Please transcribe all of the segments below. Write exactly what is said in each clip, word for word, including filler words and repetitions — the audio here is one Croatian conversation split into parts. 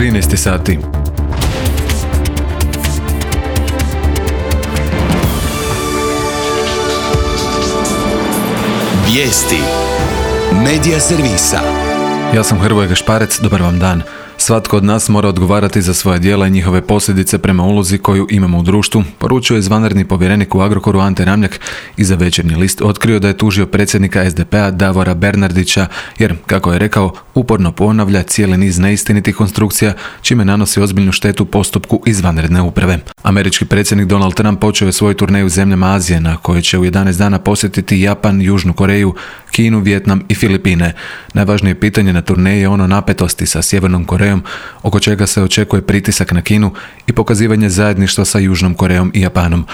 trinaest sati. Vijesti Medija servisa. Ja sam Hrvoje Gašparec, dobar vam dan. Svatko od nas mora odgovarati za svoje djela i njihove posljedice prema ulozi koju imamo u društvu, poručio je izvanredni povjerenik u Agrokoru Ante Ramljak i za Večernji list otkrio da je tužio predsjednika es de pe a Davora Bernardića jer, kako je rekao, uporno ponavlja cijeli niz neistinitih konstrukcija čime nanosi ozbiljnu štetu postupku izvanredne uprave. Američki predsjednik Donald Trump počeo je svoju turneju zemljama Azije na kojoj će u jedanaest dana posjetiti Japan, Južnu Koreju, Kinu, Vijetnam i Filipine. Najvažnije pitanje na turneji je ono napetosti sa Sjevernom Korejom, oko čega se očekuje pritisak na Kinu i pokazivanje zajedništva sa Južnom Korejom i Japanom.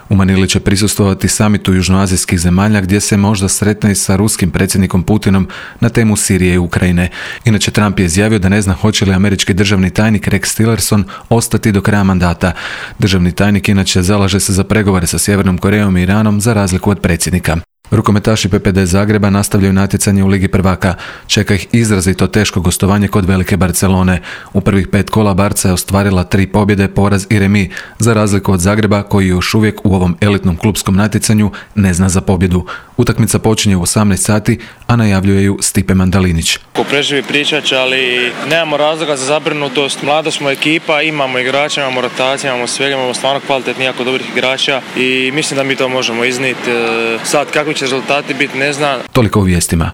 U Manili će prisustvovati samitu južnoazijskih zemalja gdje se možda sretne i sa ruskim predsjednikom Putinom na temu Sirije i Ukrajine. Inače, Trump je izjavio da ne zna hoće li američki državni tajnik Rex Tillerson ostati do kraja mandata. Državni tajnik inače zalaže se za pregovore sa Sjevernom Korejom i Iranom za razliku od predsjednika. Rukometaši pe pe de Zagreba nastavljaju natjecanje u Ligi prvaka. Čeka ih izrazito teško gostovanje kod velike Barcelone. U prvih pet kola Barca je ostvarila tri pobjede, poraz i remi, za razliku od Zagreba koji još uvijek u ovom elitnom klupskom natjecanju ne zna za pobjedu. Utakmica počinje u osamnaest sati, a najavljuje ju Stipe Mandalinić. Ko preživi pričat će, ali nemamo razloga za zabrinutost. Mlada smo ekipa, imamo igrača, imamo rotacije, imamo svega, imamo stvarno kvalitetnih, jako dobrih igrača i mislim da mi to možemo iznijeti. Sad kakvi će rezultati biti, ne znam. Toliko u vijestima.